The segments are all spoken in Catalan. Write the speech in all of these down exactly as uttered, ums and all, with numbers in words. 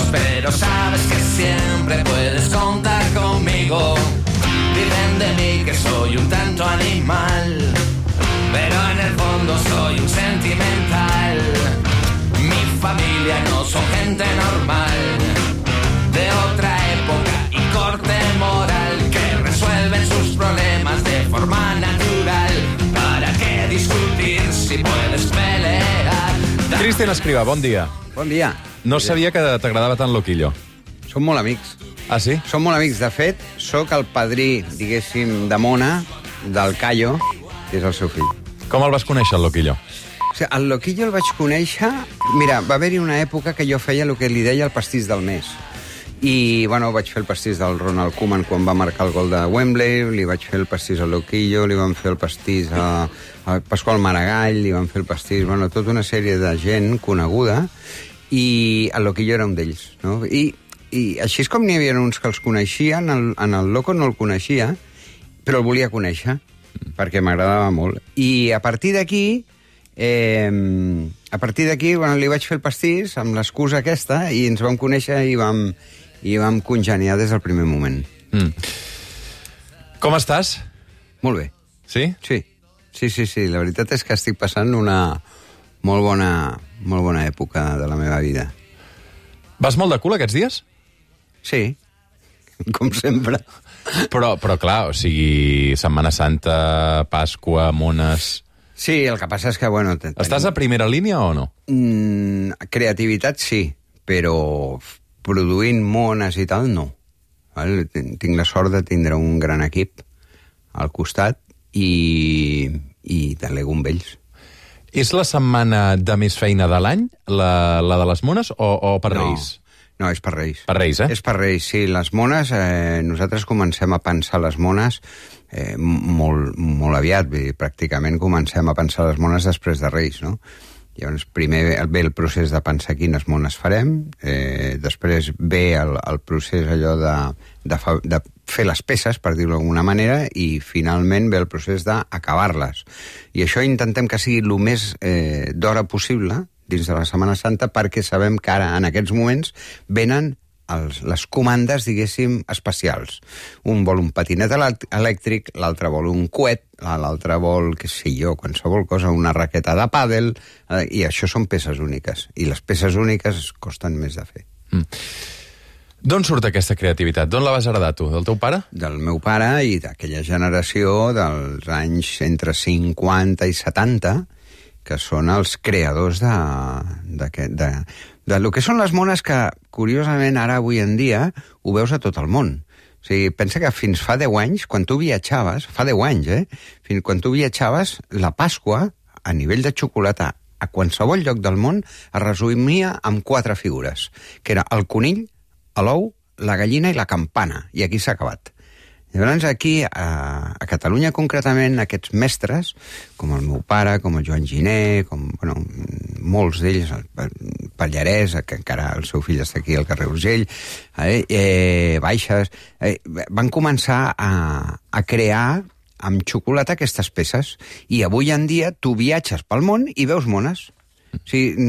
amigos, pero sabes que siempre puedes contar conmigo. Dicen de mí que soy un tanto animal, pero en el fondo soy un sentimental. Mi familia no son gente normal, de otra época y corte moral, que resuelven sus problemas de forma natural. ¿Para qué discutir si puedes pelear? Cristian Escrivà, bon dia. Bon dia. No sabia que t'agradava tant Loquillo. Som molt amics. Ah, sí? Som molt amics. De fet, sóc el padrí, diguéssim, de Mona, del Callo, que és el seu fill. Com el vas conèixer, el Loquillo? O sigui, el Loquillo el vaig conèixer... Mira, va haver-hi una època que jo feia el que li deia el pastís del mes. I, bueno, vaig fer el pastís del Ronald Koeman quan va marcar el gol de Wembley, li vaig fer el pastís al Loquillo, li vam fer el pastís a, a Pasqual Maragall, li vam fer el pastís... Bueno, tota una sèrie de gent coneguda, i el Loquillo era un d'ells, no? I, I així és com n'hi havia uns que els coneixien, en, en el Loco no el coneixia, però el volia conèixer, perquè m'agradava molt. I a partir d'aquí... Eh, a partir d'aquí, bueno, li vaig fer el pastís amb l'excusa aquesta i ens vam conèixer i vam, i vam congeniar des del primer moment. Mm. Com estàs? Molt bé. Sí? Sí, sí, sí, sí. La veritat és que estic passant una molt bona, molt bona època de la meva vida. Vas molt de cul aquests dies? Sí, com sempre. Però, però clar, o sigui, Setmana Santa, Pasqua, Mones... Sí, el que passa és que, bueno... Ten... Estàs a primera línia o no? Mm, creativitat sí, però produint mones i tal, no. Val? Tinc la sort de tindre un gran equip al costat i, i delego amb ells. És la setmana de més feina de l'any, la, la de les mones, o, o per no. Reis? No, és per Reis. Per Reis, eh? És per Reis, sí. Les mones, eh, nosaltres comencem a pensar les mones eh, molt, molt aviat. Vull dir, pràcticament comencem a pensar les mones després de Reis, no? Llavors, primer ve el procés de pensar quines mones farem, eh, després ve el, el procés allò de, de, fa, de fer les peces, per dir-ho d'alguna manera, i finalment ve el procés d'acabar-les. I això intentem que sigui el més eh, d'hora possible, dins de la Setmana Santa, perquè sabem que ara, en aquests moments, venen els, les comandes, diguéssim, especials. Un vol un patinet elèctric, l'altre vol un coet, l'altre vol, què sé jo, qualsevol cosa, una raqueta de pàdel, eh, i això són peces úniques. I les peces úniques costen més de fer. Mm. D'on surt aquesta creativitat? D'on la vas heredar tu? Del teu pare? Del meu pare i d'aquella generació dels anys entre cinquanta i setanta, que són els creadors de, de, de, de lo que són les mones que, curiosament, ara, avui en dia, ho veus a tot el món. O sigui, pensa que fins fa deu anys, quan tu viatjaves, fa deu anys, eh? Fins quan tu viatjaves, la Pasqua, a nivell de xocolata, a qualsevol lloc del món, es resumia amb quatre figures, que era el conill, l'ou, la gallina i la campana, i aquí s'ha acabat. Llavors, aquí, a, a Catalunya, concretament, aquests mestres, com el meu pare, com el Joan Giner, com, bueno, molts d'ells, el Pallarès, que encara el seu fill està aquí al carrer Urgell, eh, eh, Baixes, eh, van començar a, a crear amb xocolata aquestes peces. I avui en dia tu viatges pel món i veus mones. O sigui,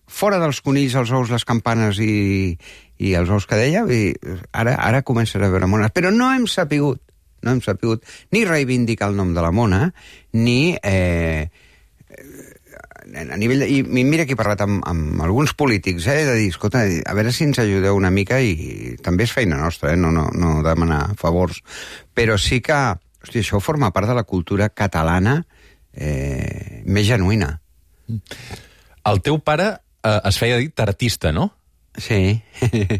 fora dels conills, els ous, les campanes i... i els ous que deia, i ara, ara comences a veure mones. Però no hem sapigut, no hem sapigut ni reivindicar el nom de la mona, ni eh, a nivell de... I mira que he parlat amb, amb alguns polítics, eh, de dir, escolta, a veure si ens ajudeu una mica, i també és feina nostra, eh, no, no, no demanar favors, però sí que, hosti, això forma part de la cultura catalana eh, més genuïna. El teu pare eh, es feia dir tartista, no? Sí.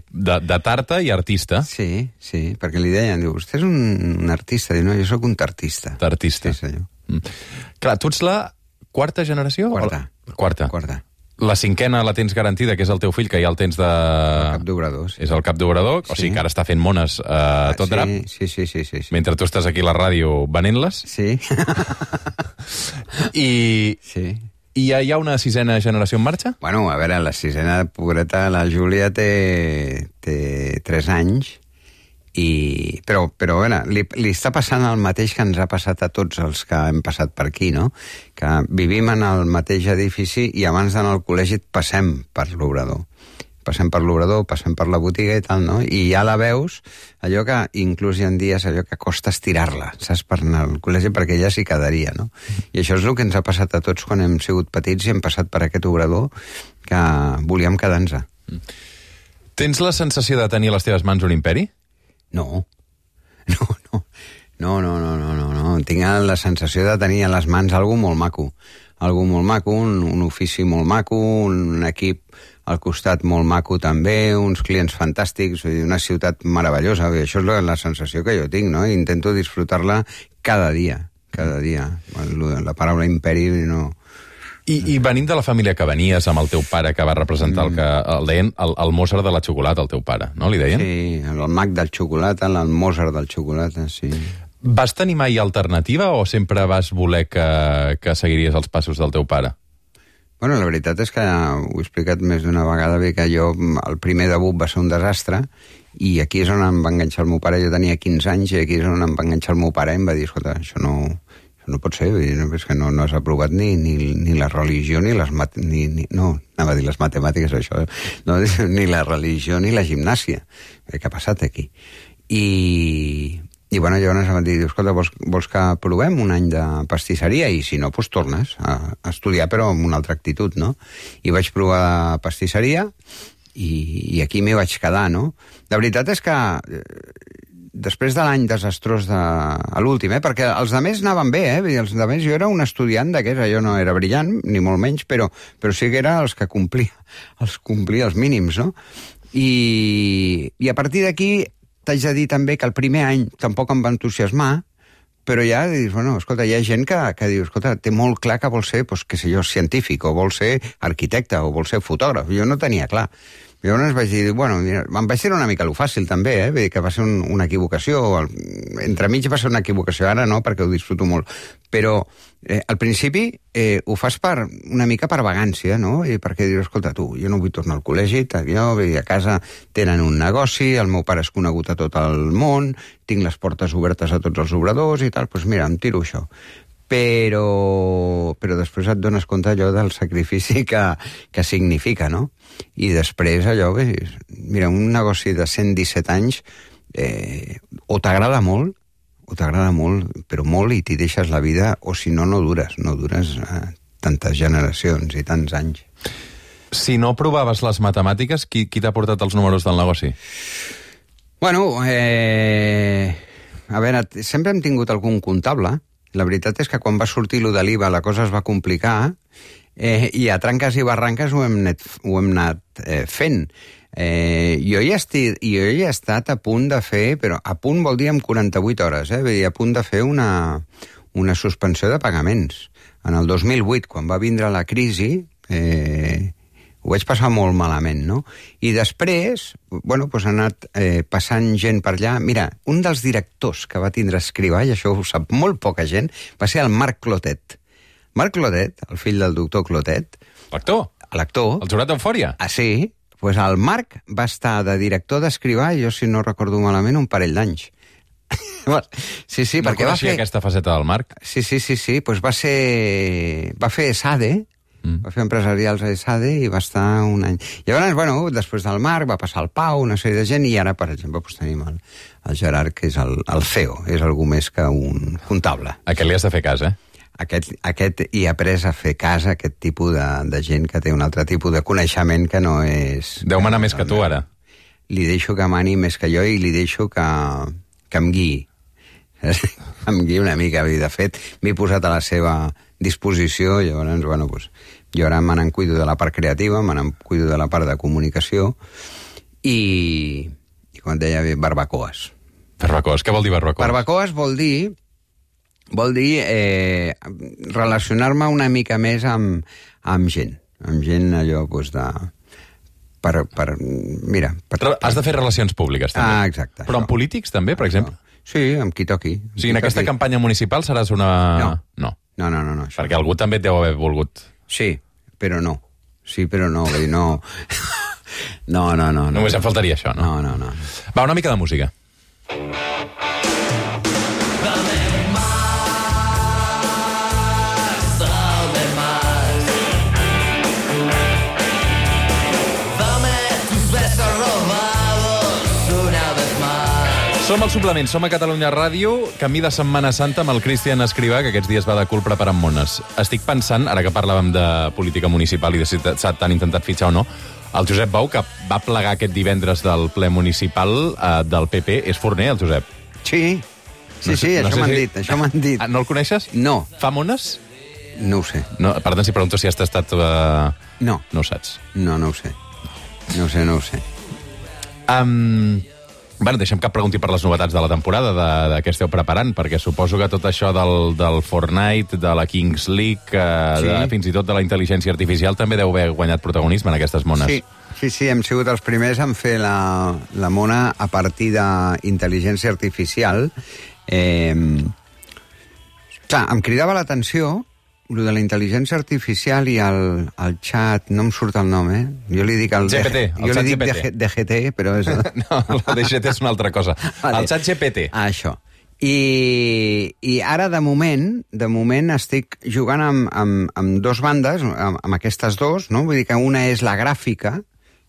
De, de tarta i artista. Sí, sí, perquè li deien, diu, vostè és un, un artista, diu, no, jo sóc un tartista. Tartista. Sí, senyor. Mm. Clar, tu ets la quarta generació? Quarta. La... Quarta. Quarta. La cinquena la tens garantida, que és el teu fill, que ja el tens de... El cap d'obrador, sí. És el cap d'obrador, sí. O sigui que ara està fent mones eh, a tot sí, drap. Sí, sí, sí, sí, sí. Mentre tu estàs aquí a la ràdio venent-les. Sí. I... Sí. I ja hi ha una sisena generació en marxa? Bueno, a veure, la sisena pobreta, la Júlia té, té tres anys, i... però, però a veure, li, li està passant el mateix que ens ha passat a tots els que hem passat per aquí, no? Que vivim en el mateix edifici i abans d'anar al col·legi et passem per l'obrador. passem per l'obrador, passem per la botiga i tal, no? I ja la veus, allò que inclús hi ha dies allò que costa estirar-la, saps, per anar al col·legi, perquè ja s'hi quedaria, no? I això és el que ens ha passat a tots quan hem sigut petits i hem passat per aquest obrador que volíem quedar-nos. Tens la sensació de tenir a les teves mans un imperi? No. No, no. No, no, no, no, no, no. Tinc la sensació de tenir a les mans algú molt maco. Algú molt maco, un, un ofici molt maco, un equip al costat molt maco també, uns clients fantàstics, una ciutat meravellosa. Això és la, la sensació que jo tinc, no? Intento disfrutar-la cada dia, cada dia. La paraula imperi no... I, I venint de la família que venies, amb el teu pare que va representar el que el deien el, el Mozart de la xocolata, el teu pare, no? Li deien? Sí, el mag del xocolata, el Mozart del xocolata, sí. Vas tenir mai alternativa o sempre vas voler que, que seguiries els passos del teu pare? Bueno, la veritat és que ho he explicat més d'una vegada, bé que jo, el primer debut va ser un desastre, i aquí és on em va enganxar el meu pare. Jo tenia quinze anys i aquí és on em va enganxar el meu pare i em va dir, escolta, això no, això no pot ser, és que no, no has aprovat ni, ni, ni la religió ni les mat ni, ni, no, anava a dir les matemàtiques, això, no, ni la religió ni la gimnàsia. Què ha passat aquí? I... I bueno, llavors em va dir, escolta, vols, vols que provem un any de pastisseria? I si no, doncs tornes a, a estudiar, però amb una altra actitud, no? I vaig provar pastisseria i, i aquí m'hi vaig quedar, no? La veritat és que eh, després de l'any desastrós de, a l'últim, eh? Perquè els altres anaven bé, eh? Els altres, jo era un estudiant d'aquests, jo no era brillant, ni molt menys, però, però sí que era els que complia, els complia els mínims, no? I, i a partir d'aquí t'haig de dir també que el primer any tampoc em va entusiasmar, però ja dius, bueno, escolta, hi ha gent que, que diu, escolta, té molt clar que vol ser, doncs, què sé jo, científic, o vol ser arquitecte, o vol ser fotògraf. Jo no tenia clar. Llavors vaig dir, bueno, mira, em vaig dir una mica lo fàcil també, eh? Vull dir que va ser un, una equivocació, el, entremig va ser una equivocació, ara no, perquè ho disfruto molt, però eh, al principi eh, ho fas per, una mica per vagància, no? I perquè dius, escolta, tu, jo no vull tornar al col·legi, jo, vull dir, a casa tenen un negoci, el meu pare és conegut a tot el món, tinc les portes obertes a tots els obradors i tal, doncs mira, em tiro això. Però, però després et dones compte allò del sacrifici que, que significa, no? I després allò, bé, mira, un negoci de cent disset anys eh, o t'agrada molt, o t'agrada molt, però molt, i t'hi deixes la vida, o si no, no dures, no dures eh, tantes generacions i tants anys. Si no provaves les matemàtiques, qui, qui t'ha portat els números del negoci? Bueno, eh, a veure, sempre hem tingut algun comptable. La veritat és que quan va sortir lo de l'I V A la cosa es va complicar eh, i a tranques i barranques ho hem, net, ho hem anat eh, fent. Eh, jo, hi esti, jo hi he estat a punt de fer, però a punt vol dir amb quaranta-vuit hores, eh, vull dir, a punt de fer una, una suspensió de pagaments. En el dos mil vuit, quan va vindre la crisi, eh, ho vaig passar molt malament, no? I després, bueno, doncs ha anat eh, passant gent per allà. Mira, un dels directors que va tindre Escrivà, i això ho sap molt poca gent, va ser el Marc Clotet. Marc Clotet, el fill del doctor Clotet... L'actor? L'actor. El jurat d'Eufòria? Ah, sí. Doncs pues el Marc va estar de director d'Escrivà, jo, si no recordo malament, un parell d'anys. Sí, sí, no perquè va fer... aquesta faceta del Marc? Sí, sí, sí, sí, doncs pues va ser... va fer SADE, Mm. va fer empresarials a ESADE i va estar un any. Llavors, bueno, després del Marc va passar el Pau, una sèrie de gent, i ara, per exemple, doncs tenim el, el Gerard, que és el, el C E O, és algú més que un comptable. A aquest li has de fer cas, eh? Aquest, aquest hi ha après a fer cas a aquest tipus de, de gent que té un altre tipus de coneixement que no és... Deu manar més que tu, ara. Li deixo que mani més que jo i li deixo que, que em guiï. em guiï una mica. De fet, m'he posat a la seva disposició, llavors, bueno, doncs, jo ara me n'en cuido de la part creativa, me n'en cuido de la part de comunicació i, i com et deia, barbacoes. Barbacoes, què vol dir barbacoes? Barbacoes vol dir, vol dir eh, relacionar-me una mica més amb, amb gent, amb gent allò, doncs, de... Per, per, mira... Per, per... Has de fer relacions públiques, també. Ah, exacte. Però amb polítics, també, per exemple? Sí, amb qui toqui. O sigui, en aquesta campanya municipal seràs una... No. No. No, no, no, no. Perquè algú també et deu haver volgut... Sí, però no. Sí, però no, vull dir, no... No, no, no. Només em faltaria això, no? No, no, no. Va, una mica de música. Dame tu Som al suplement, som a Catalunya Ràdio, camí de Setmana Santa amb el Cristian Escrivà, que aquests dies va de cul preparant mones. Estic pensant, ara que parlàvem de política municipal i de si t'han intentat fitxar o no, el Josep Bou, que va plegar aquest divendres del ple municipal eh, del P P, és forner, el Josep? Sí, sí, no sé, sí, no això m'han si... dit, això m'han dit. Ah, no el coneixes? No. Fa mones? No ho sé. No, per tant, si pregunto si has tastat... Uh... No. No ho saps? No, no ho sé. No ho sé, no ho sé. Um, bueno, deixem que et pregunti per les novetats de la temporada, de, de què esteu preparant, perquè suposo que tot això del, del Fortnite, de la Kings League, uh, sí. de, fins i tot de la intel·ligència artificial, també deu haver guanyat protagonisme en aquestes mones. Sí, sí, sí, hem sigut els primers en fer la, la mona a partir d'intel·ligència artificial. Eh, clar, em cridava l'atenció lo de la intel·ligència artificial i el, el xat, no em surt el nom, eh? Jo li dic el... G P T, el jo xat li dic G P T. D G T, però és... No, el D G T és una altra cosa. Vale. El xat G P T. Ah, això. I, I ara, de moment, de moment estic jugant amb, amb, amb dos bandes, amb, amb aquestes dos, no? Vull dir que una és la gràfica,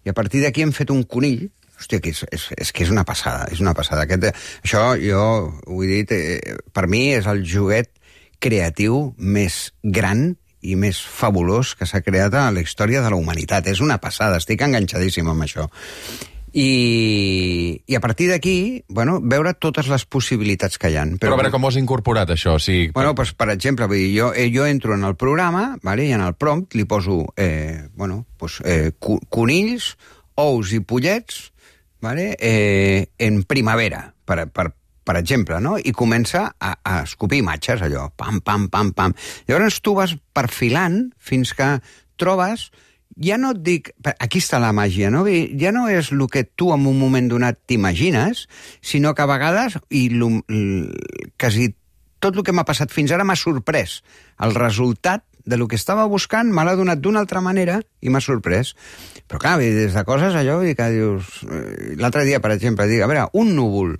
i a partir d'aquí hem fet un conill. Hòstia, que és, és, és que és una passada, és una passada. Aquest, això, jo ho he dit, eh, per mi és el joguet creatiu més gran i més fabulós que s'ha creat a la història de la humanitat. És una passada, estic enganxadíssim amb això. I, i a partir d'aquí, bueno, veure totes les possibilitats que hi ha. Però, Però a veure, com ho has incorporat, això? O sigui, bueno, doncs, per exemple, vull dir, jo, jo entro en el programa, vale, i en el prompt li poso eh, bueno, doncs, eh, conills, ous i pollets, vale, eh, en primavera, per, per per exemple, no? I comença a, a escopir imatges, allò, pam, pam, pam, pam. Llavors tu vas perfilant fins que trobes, ja no et dic, aquí està la màgia, no? Ja no és el que tu en un moment donat t'imagines, sinó que a vegades, i lo, quasi tot el que m'ha passat fins ara m'ha sorprès. El resultat de lo que estava buscant me l'ha donat d'una altra manera i m'ha sorprès. Però clar, des de coses allò, que dius... L'altre dia, per exemple, dic, a veure, un núvol,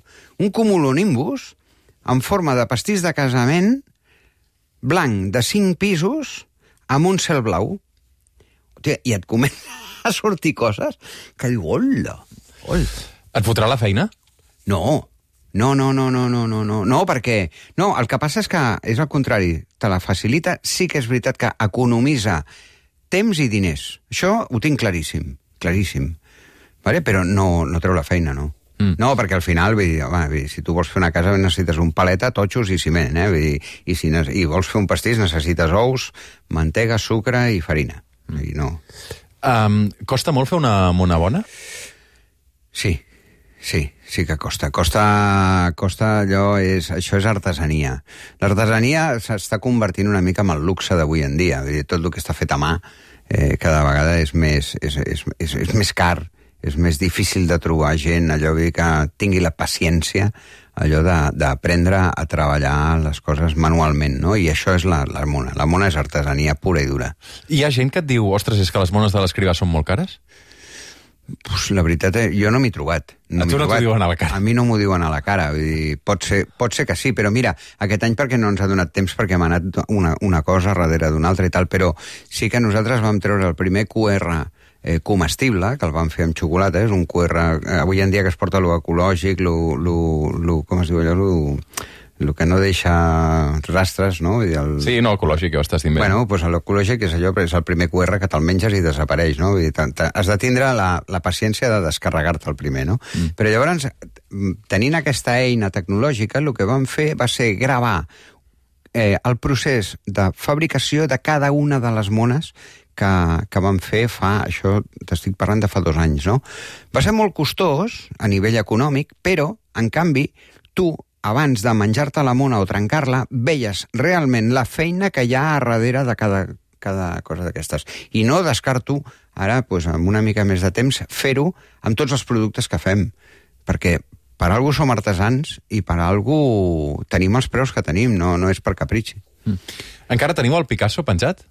un cumulonimbus en forma de pastís de casament blanc de cinc pisos amb un cel blau. Hòstia, i et comença a sortir coses que diu, hola, hola. Et fotrà la feina? No, no, no, no, no, no, no, no, no, perquè... No, el que passa és que és al contrari, te la facilita, sí que és veritat que economitza temps i diners. Això ho tinc claríssim, claríssim. Vale? Però no, no treu la feina, no. Mm. No, perquè al final, vull dir, home, vull dir, si tu vols fer una casa necessites un paleta, totxos i ciment, eh? Vull dir, i si i vols fer un pastís necessites ous, mantega, sucre i farina. Mm. I no. Um, costa molt fer una mona bona? Sí, sí, sí que costa. Costa, costa allò, és, això és artesania. L'artesania s'està convertint una mica en el luxe d'avui en dia. Vull dir, tot el que està fet a mà eh, cada vegada és més, és, és, és, és més car, és més difícil de trobar gent, allò que tingui la paciència, allò d'aprendre a treballar les coses manualment, no? I això és la, la mona. La mona és artesania pura i dura. Hi ha gent que et diu, ostres, és que les mones de l'Escrivà són molt cares? Pues la veritat, eh, jo no m'he trobat. No a tu no t'ho diuen a la cara? A mi no m'ho diuen a la cara. Vull dir, pot, ser, pot ser que sí, però mira, aquest any perquè no ens ha donat temps, perquè m'ha anat una, una cosa darrere d'una altra i tal, però sí que nosaltres vam treure el primer Q R eh, comestible, que el vam fer amb xocolata, és un Q R, eh, avui en dia que es porta lo ecològic, lo, lo, lo, com es diu allò, lo, lo que no deixa rastres, no? El... Sí, no, ecològic, ho estàs dient bé. Bueno, doncs l'ecològic és allò, és el primer Q R que te'l menges i desapareix, no? Vull dir, has de tindre la, la paciència de descarregar-te el primer, no? Mm. Però llavors, tenint aquesta eina tecnològica, el que vam fer va ser gravar eh, el procés de fabricació de cada una de les mones que, que vam fer fa, això t'estic parlant de fa dos anys, no? Va ser molt costós a nivell econòmic, però, en canvi, tu, abans de menjar-te la mona o trencar-la, veies realment la feina que hi ha a darrere de cada, cada cosa d'aquestes. I no descarto, ara, doncs, amb una mica més de temps, fer-ho amb tots els productes que fem, perquè per algú som artesans i per algú tenim els preus que tenim, no, no és per capritxi. Mm. Encara teniu el Picasso penjat?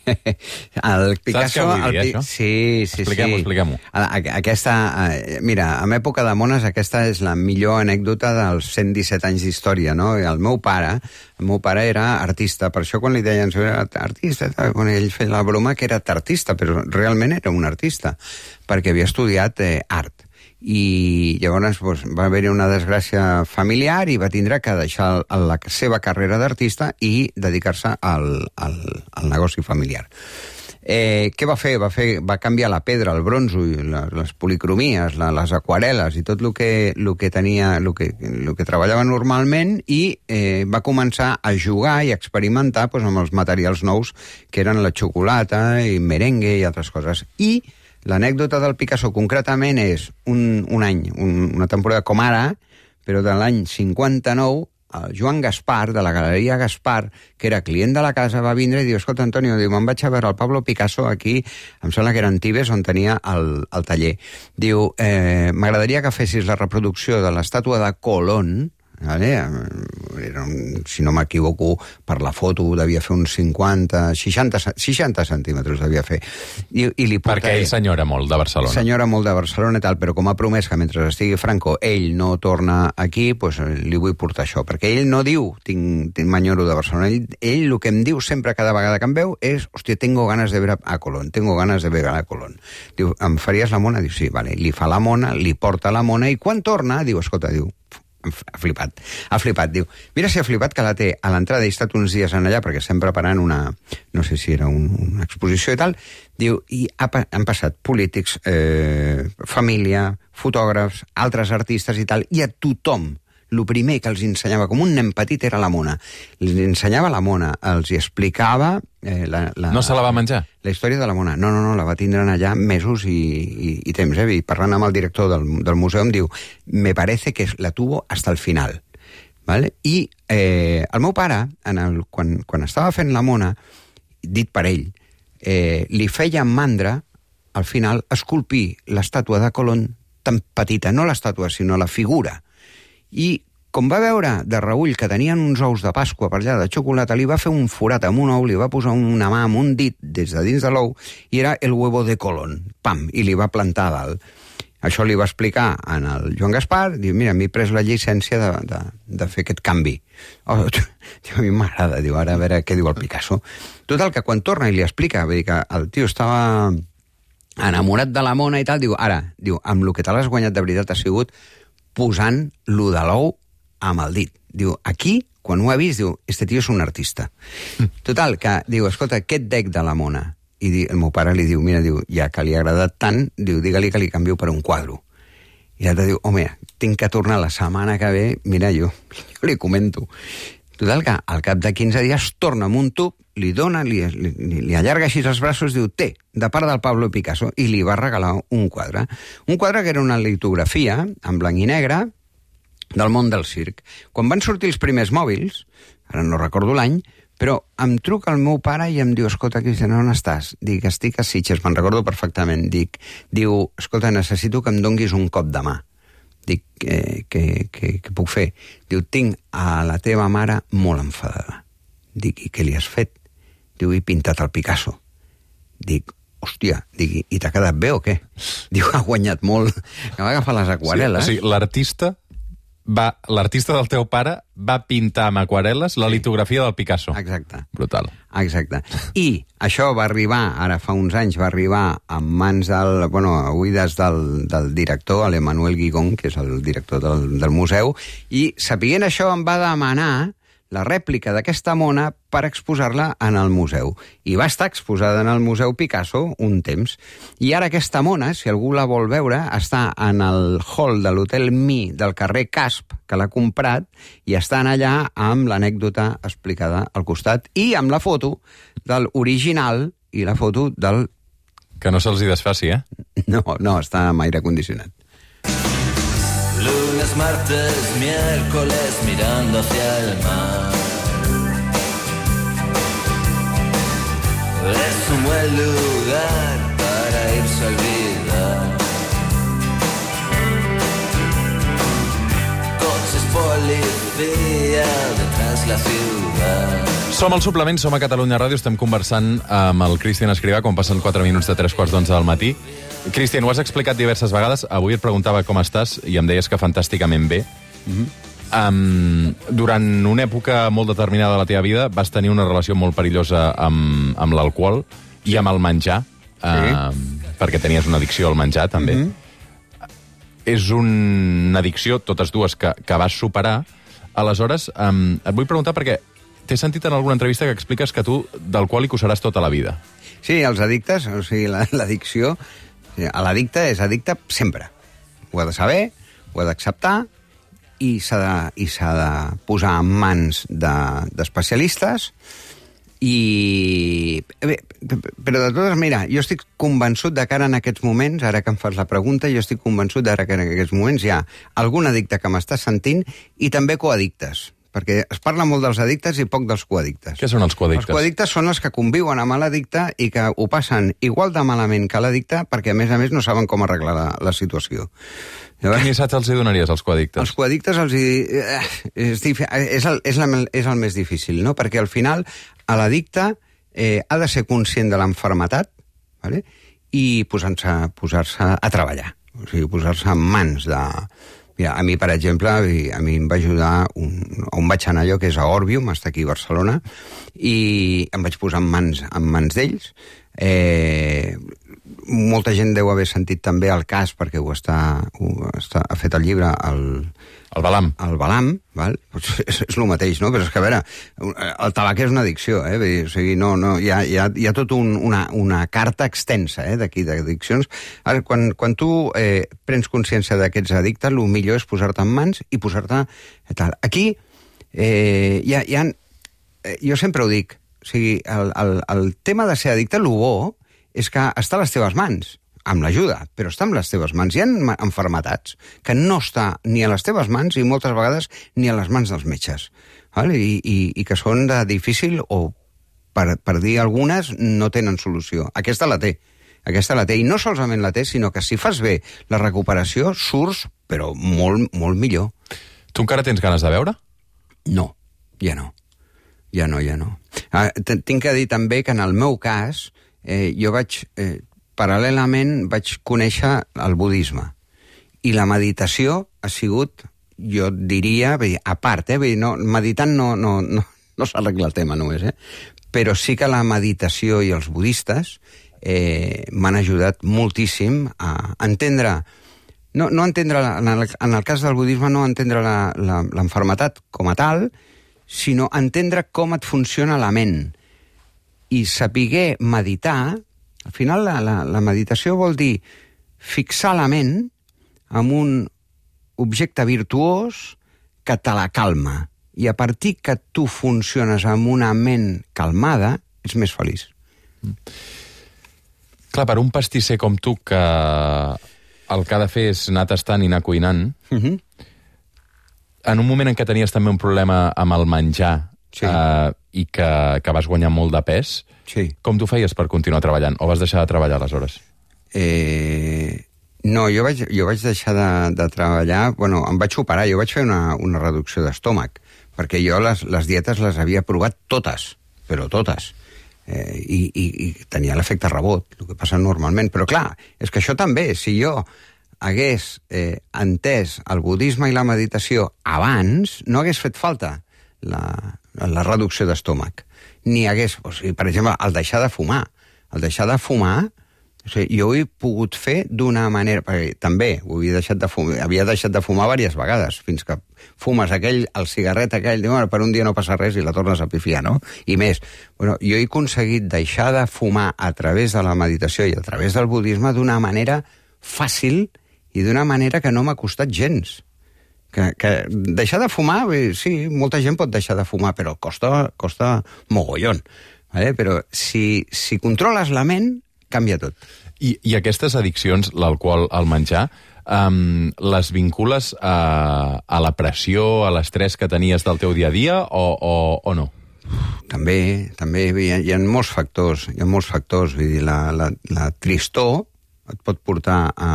El Picasso... Saps què vull dir, el, això? Sí, sí, expliquem-ho, sí. expliquem-ho. Aquesta, mira, en època de mones, aquesta és la millor anècdota dels cent disset anys d'història, no? El meu pare, el meu pare era artista, per això quan li deien era artista, quan ell feia la broma que era artista, però realment era un artista, perquè havia estudiat eh, art. i llavors doncs, va haver-hi una desgràcia familiar i va tindre que deixar la seva carrera d'artista i dedicar-se al, al, al negoci familiar. Eh, què va fer? Va fer? Va canviar la pedra, el bronzo, les, les policromies, la, les aquarel·les i tot el que, el que tenia, el que, el que treballava normalment i eh, va començar a jugar i a experimentar doncs, amb els materials nous que eren la xocolata i merengue i altres coses. I l'anècdota del Picasso concretament és un, un any, un, una temporada com ara, però de l'any cinquanta-nou, el Joan Gaspar, de la Galeria Gaspar, que era client de la casa, va vindre i diu, escolta, Antonio, diu, me'n vaig a veure el Pablo Picasso aquí, em sembla que era en Tibes, on tenia el, el taller. Diu, eh, m'agradaria que fessis la reproducció de l'estàtua de Colón, vale? Era un, si no m'equivoco, per la foto devia fer uns cinquanta, seixanta, seixanta centímetres devia fer. I, i li portaré... Perquè ell senyora molt de Barcelona. Senyora molt de Barcelona i tal, però com ha promès que mentre estigui Franco ell no torna aquí, pues, li vull portar això. Perquè ell no diu, tinc, tinc m'enyoro de Barcelona, ell, ell el que em diu sempre cada vegada que em veu és, hòstia, tengo ganes de ver a Colón, tengo ganes de ver a Colón. Diu, em faries la mona? Diu, sí, vale. Li fa la mona, li porta la mona i quan torna, diu, escolta, diu, ha flipat, ha flipat, diu, mira si ha flipat que la té a l'entrada, he estat uns dies en allà perquè estem preparant una, no sé si era un, una exposició i tal, diu, i ha, han passat polítics, eh, família, fotògrafs, altres artistes i tal, i a tothom, el primer que els ensenyava, com un nen petit, era la mona. Els ensenyava la mona, els hi explicava... Eh, la, la, no se la va menjar? La història de la mona. No, no, no, la va tindre allà mesos i, i, i temps. Eh? I parlant amb el director del, del museu em diu, me parece que la tuvo hasta el final. ¿Vale? I eh, el meu pare, en el, quan, quan estava fent la mona, dit per ell, eh, li feia mandra, al final, esculpir l'estàtua de Colón tan petita, no l'estàtua, sinó la figura. I com va veure de reull que tenien uns ous de Pasqua per allà de xocolata, li va fer un forat amb un ou, li va posar una mà amb un dit des de dins de l'ou i era el huevo de Colón. Pam! I li va plantar a dalt. Això li va explicar en el Joan Gaspar, diu, mira, m'he pres la llicència de, de, de fer aquest canvi. Oh, a mi m'agrada, diu, ara a veure què diu el Picasso. Total, que quan torna i li explica, vull dir que el tio estava enamorat de la mona i tal, diu, ara, diu, amb el que te l'has guanyat de veritat ha sigut posant lo de l'ou amb el dit. Diu, aquí, quan ho ha vist, diu, este tio és un artista. Total, que diu, escolta, aquest dec de la mona. I di, el meu pare li diu, mira, diu, ja que li ha agradat tant, diu, digue-li que li canvio per un quadro. I l'altre diu, home, tinc que tornar la setmana que ve, mira, jo, jo li comento. Total, que al cap de quinze dies torna amb un tub, li dona, li, li, li allarga així els braços, diu, té, de part del Pablo Picasso, i li va regalar un quadre. Un quadre que era una litografia, en blanc i negre, del món del circ. Quan van sortir els primers mòbils, ara no recordo l'any, però em truca el meu pare i em diu, escolta, Cristian, on estàs? Dic, estic a Sitges, me'n recordo perfectament. Dic, diu, escolta, necessito que em donguis un cop de mà. Dic, eh, què, què, què puc fer? Diu, tinc a la teva mare molt enfadada. Dic, i què li has fet? Diu, he pintat el Picasso. Dic, hòstia, dic, i t'ha quedat bé o què? Diu, ha guanyat molt, que va agafar les aquarel·les. Sí, o sigui, l'artista va, l'artista del teu pare va pintar amb aquarel·les la litografia del Picasso. Exacte. Brutal. Exacte. I això va arribar, ara fa uns anys, va arribar en mans del, bueno, avui des del, del director, l'Emmanuel Guigón, que és el director del, del museu, i sapient això em va demanar la rèplica d'aquesta mona per exposar-la en el museu. I va estar exposada en el Museu Picasso un temps. I ara aquesta mona, si algú la vol veure, està en el hall de l'Hotel Mi del carrer Casp, que l'ha comprat, i estan allà amb l'anècdota explicada al costat i amb la foto del original i la foto del... Que no se'ls hi desfaci, eh? No, no, està amb aire condicionat. Lunes, martes, miércoles, mirando hacia el mar. Es un buen lugar para irse a olvidar. Coches, policía, detrás la ciudad. Som al suplement, som a Catalunya Ràdio, estem conversant amb el Cristian Escrivà, quan passen quatre minuts de tres quarts d'onze del matí. Cristian, ho has explicat diverses vegades, avui et preguntava com estàs i em deies que fantàsticament bé. Mm-hmm. um, durant una època molt determinada de la teva vida vas tenir una relació molt perillosa amb, amb l'alcohol i amb el menjar, sí. uh, perquè tenies una addicció al menjar, també. Mm-hmm. és una addicció, totes dues, que, que vas superar. Aleshores, um, et vull preguntar perquè t'he sentit en alguna entrevista que expliques que tu d'alcohòlic ho seràs tota la vida. Sí, els addictes, o sigui, l'addicció... L'addicte és addicte sempre. Ho ha de saber, ho ha d'acceptar, i s'ha de, i s'ha de posar en mans d'especialistes, de, i... Bé, però de totes, mira, jo estic convençut de que ara en aquests moments, ara que em fas la pregunta, jo estic convençut de que en aquests moments hi ha algun addicte que m'està sentint i també coaddictes, perquè es parla molt dels addictes i poc dels coaddictes. Què són els coaddictes? Els coaddictes són els que conviuen amb l'addicte i que ho passen igual de malament que l'addicte perquè, a més a més, no saben com arreglar la, la situació. Llavors, quin missatge els hi donaries als coaddictes? Els coaddictes els hi... És, és, el, és, la, és el més difícil, no? Perquè al final l'addicte eh, ha de ser conscient de l'enfermetat, ¿vale? I posar-se posar-se a treballar. O sigui, posar-se en mans de... Mira, a mi, per exemple, a mi em va ajudar un, on vaig anar allò, que és a Orbium, està aquí a Barcelona, i em vaig posar en mans, en mans d'ells. Eh, molta gent deu haver sentit també el cas, perquè ho està, ho està ha fet el llibre, el... El Balam. El Balam, val? Pues és, és el mateix, no? Però és que, a veure, el tabac és una addicció, eh? Vull dir, o sigui, no, no, hi ha, hi ha, hi ha tota un, una, una carta extensa, eh, d'aquí, d'addiccions. Ara, quan, quan tu eh, prens consciència d'aquests addictes, el millor és posar-te en mans i posar-te... Tal. Aquí, eh, hi ha, hi ha... Jo sempre ho dic, o sigui, el, el, el tema de ser addicte, el bo és que està a les teves mans, amb l'ajuda, però està amb les teves mans. Hi ha enfermetats que no està ni a les teves mans i moltes vegades ni a les mans dels metges, val? I, i, i que són de difícil o, per, per dir algunes, no tenen solució. Aquesta la té, aquesta la té, i no solament la té, sinó que si fas bé la recuperació, surts, però molt, molt millor. Tu encara tens ganes de beure? No, ja no. Ja no, ja no. Ah, tinc que dir també que en el meu cas, eh, jo vaig... Eh, paral·lelament vaig conèixer el budisme. I la meditació ha sigut, jo diria, a part, eh? No, meditant no, no, no, no s'arregla el tema només, eh? Però sí que la meditació i els budistes eh, m'han ajudat moltíssim a entendre, no, no entendre, en el, en el cas del budisme, no entendre l'enfermetat com a tal, sinó entendre com et funciona la ment. I saber meditar. Al final, la, la, la meditació vol dir fixar la ment en un objecte virtuós que te la calma. I a partir que tu funciones amb una ment calmada, ets més feliç. Mm. Clar, per un pastisser com tu, que el que ha de fer és anar tastant i anar cuinant, uh-huh. En un moment en què tenies també un problema amb el menjar, sí. eh, i que, que vas guanyar molt de pes, sí. Com tu feies per continuar treballant? O vas deixar de treballar aleshores? Eh, no, jo vaig, jo vaig deixar de, de treballar... Bueno, em vaig operar, jo vaig fer una, una reducció d'estómac, perquè jo les, les dietes les havia provat totes, però totes. Eh, i, i, I tenia l'efecte rebot, el que passa normalment. Però clar, és que això també, si jo hagués eh, entès el budisme i la meditació abans, no hagués fet falta la, la reducció d'estómac. Ni hagués, o sigui, per exemple, el deixar de fumar. El deixar de fumar, o sigui, jo ho he pogut fer d'una manera... Perquè també ho havia deixat de fumar, havia deixat de fumar diverses vegades, fins que fumes aquell, el cigarret aquell, diu, bueno, per un dia no passa res i la tornes a pifiar, no? I més. Bueno, jo he aconseguit deixar de fumar a través de la meditació i a través del budisme d'una manera fàcil i d'una manera que no m'ha costat gens. Que, que deixar de fumar, bé, sí, molta gent pot deixar de fumar, però costa, costa mogollon. Vale? Però si, si controles la ment, canvia tot. I, i aquestes addiccions, l'alcohol, el menjar, um, les vincules a, a la pressió, a l'estrès que tenies del teu dia a dia, o, o, o no? També, també hi ha, hi ha molts factors, hi ha molts factors, vull dir, la, la, la tristor et pot portar a,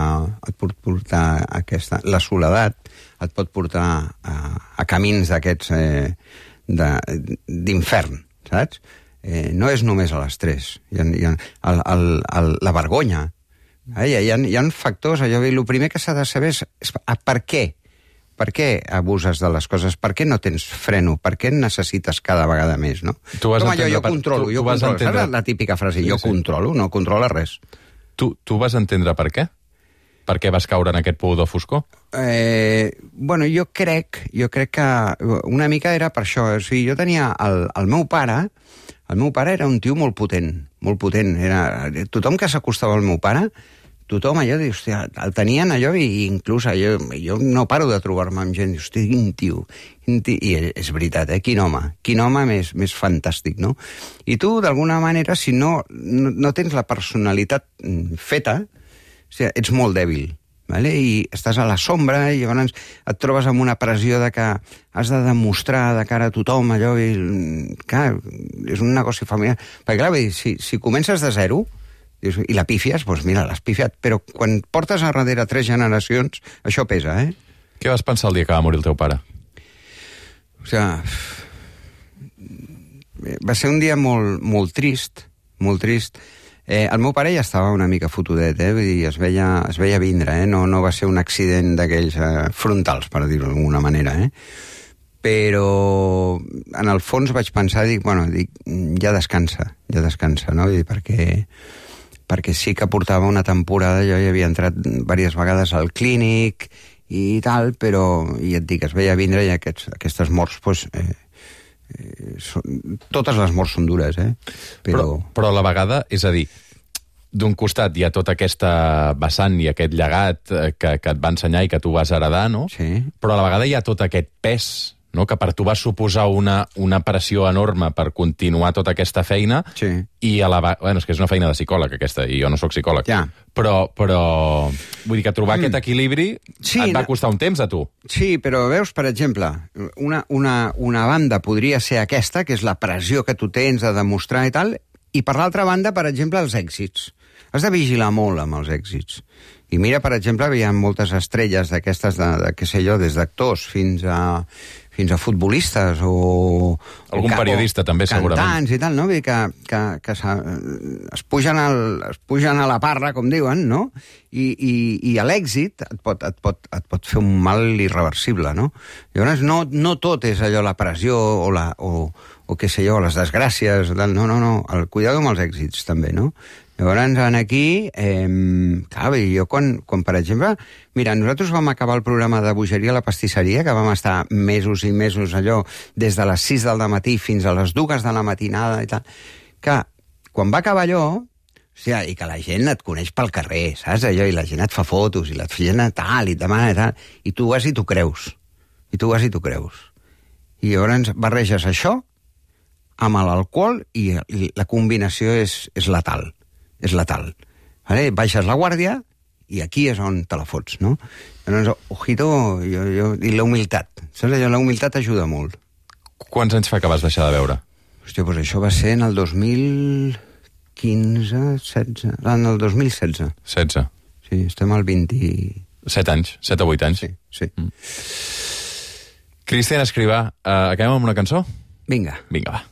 et pot portar a aquesta, la soledat et pot portar a, a camins d'aquests eh, d'infern, saps? Eh, no és només a l'estrès, hi ha, hi ha el, el, el, la vergonya, eh? hi, ha, hi ha factors, allò, el primer que s'ha de saber és, és per què, per què abuses de les coses, per què no tens freno, per què necessites cada vegada més, no? Tu vas Com allò, jo per, controlo, tu, jo tu controlo, entendre... saps la típica frase, sí, jo sí. controlo, no controla res. Tu, tu vas entendre per què? per què vas caure en aquest pou de foscor? Eh, bueno, jo crec, jo crec que una mica era per això. O sigui, jo tenia el, el meu pare, el meu pare era un tio molt potent, molt potent. Era, tothom que s'acostava al meu pare, tothom allò, hòstia, el tenien allò, i inclús allò, jo no paro de trobar-me amb gent, hòstia, quin tio, quin tio, i és veritat, eh? Quin home, quin home més, més fantàstic, no? I tu, d'alguna manera, si no, no, no tens la personalitat feta, o sigui, ets molt dèbil, vale? I estàs a la sombra i llavors et trobes amb una pressió de que has de demostrar de cara a tothom allò, i clar, és un negoci familiar. Perquè clar, si, si comences de zero i la pífies, doncs mira, l'has pifiat, però quan portes a darrere tres generacions, això pesa, eh? Què vas pensar el dia que va morir el teu pare? O sigui, va ser un dia molt, molt trist, molt trist. Eh, el meu pare ja estava una mica fotudet, eh? Vull dir, es veia, es veia vindre, eh? No, no va ser un accident d'aquells eh, frontals, per dir-ho d'alguna manera, eh? Però en el fons vaig pensar, dic, bueno, dic, ja descansa, ja descansa, no? Vull dir, perquè, perquè sí que portava una temporada, jo ja havia entrat diverses vegades al clínic i tal, però, i et dic, es veia vindre i aquests, aquestes morts, doncs, eh, Eh, són, totes les morts són dures, eh? Però... Però, però a la vegada, és a dir, d'un costat hi ha tota aquesta vessant i aquest llegat que, que et va ensenyar i que tu vas heredar, no? Sí. Però a la vegada hi ha tot aquest pes, no?, que per tu va suposar una, una pressió enorme per continuar tota aquesta feina. Sí. I a la vegada... Bueno, és que és una feina de psicòleg, aquesta, i jo no sóc psicòleg. Ja. Però, però... Vull dir que trobar mm. aquest equilibri sí, et va no... costar un temps a tu. Sí, però veus, per exemple, una, una, una banda podria ser aquesta, que és la pressió que tu tens de demostrar i tal, i per l'altra banda, per exemple, els èxits. Has de vigilar molt amb els èxits. I mira, per exemple, hi ha moltes estrelles d'aquestes, de, de, què sé jo, des d'actors fins a, fins a futbolistes o... Algun o, periodista, o també, segurament. Cantants i tal, no? Vull dir que, que, que es, pugen al, es pugen a la parra, com diuen, no? I, i, i l'èxit et pot, et, pot, et pot fer un mal irreversible, no? Llavors, no, no tot és allò, la pressió o, la, o, o què sé jo, les desgràcies, no, no, no, el cuidado amb els èxits, també, no? Llavors, aquí, eh, clar, jo quan, quan, per exemple... Mira, nosaltres vam acabar el programa de Bogeria a la pastisseria, que vam estar mesos i mesos allò, des de les sis del matí fins a les dues de la matinada i tal, que quan va acabar allò, o sigui, i que la gent et coneix pel carrer, saps, allò, i la gent et fa fotos, i la gent tal, i et demana tal, i tu vas i t'ho creus, i tu vas i t'ho creus. I llavors barreges això amb l'alcohol i, i la combinació és, és letal. és letal. Vale? Baixes la guàrdia i aquí és on te la fots, no? Llavors, ojito, jo, jo, i la humilitat. Saps allò? La humilitat ajuda molt. Quants anys fa que vas deixar de beure? Hòstia, doncs això va ser en el dos mil quinze, setze... En el dos mil setze. setze. Sí, estem al vint... set anys, set o vuit anys. Sí, sí. Mm. Cristian Escrivà, uh, acabem amb una cançó? Vinga. Vinga, va.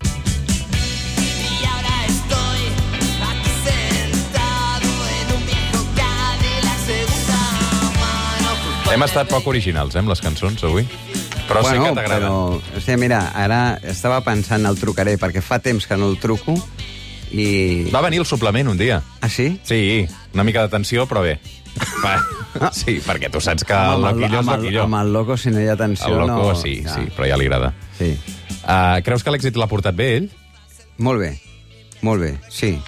Hem estat poc originals, eh, amb les cançons, avui. Però bueno, sé que t'agrada. Però, hòstia, mira, ara estava pensant el trucaré, perquè fa temps que no el truco, i... Va venir el suplement un dia. Ah, sí? Sí, una mica de tensió, però bé. Va. Sí, perquè tu saps que el loquillo és loquillo. Amb el loco, si no hi ha tensió, no... El loco, no... sí, ja. sí, però ja li agrada. Sí. Uh, creus que l'èxit l'ha portat bé, ell? Molt bé, molt bé, sí.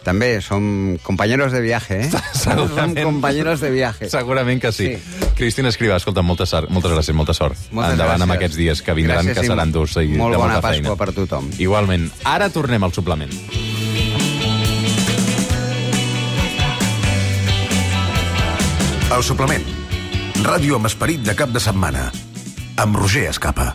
També som compañeros de viaje, eh? Som compañeros de viaje. Segurament que sí. sí. Cristina Escrivà, escolta, moltes, moltes gràcies, molta sort. Moltes Endavant gràcies. amb aquests dies que vindran, gràcies, que seran durs i molt de bona molta Pasqua feina. Per tothom. Igualment. Ara tornem al suplement. El suplement. Ràdio amb esperit de cap de setmana. Amb Roger Escapa.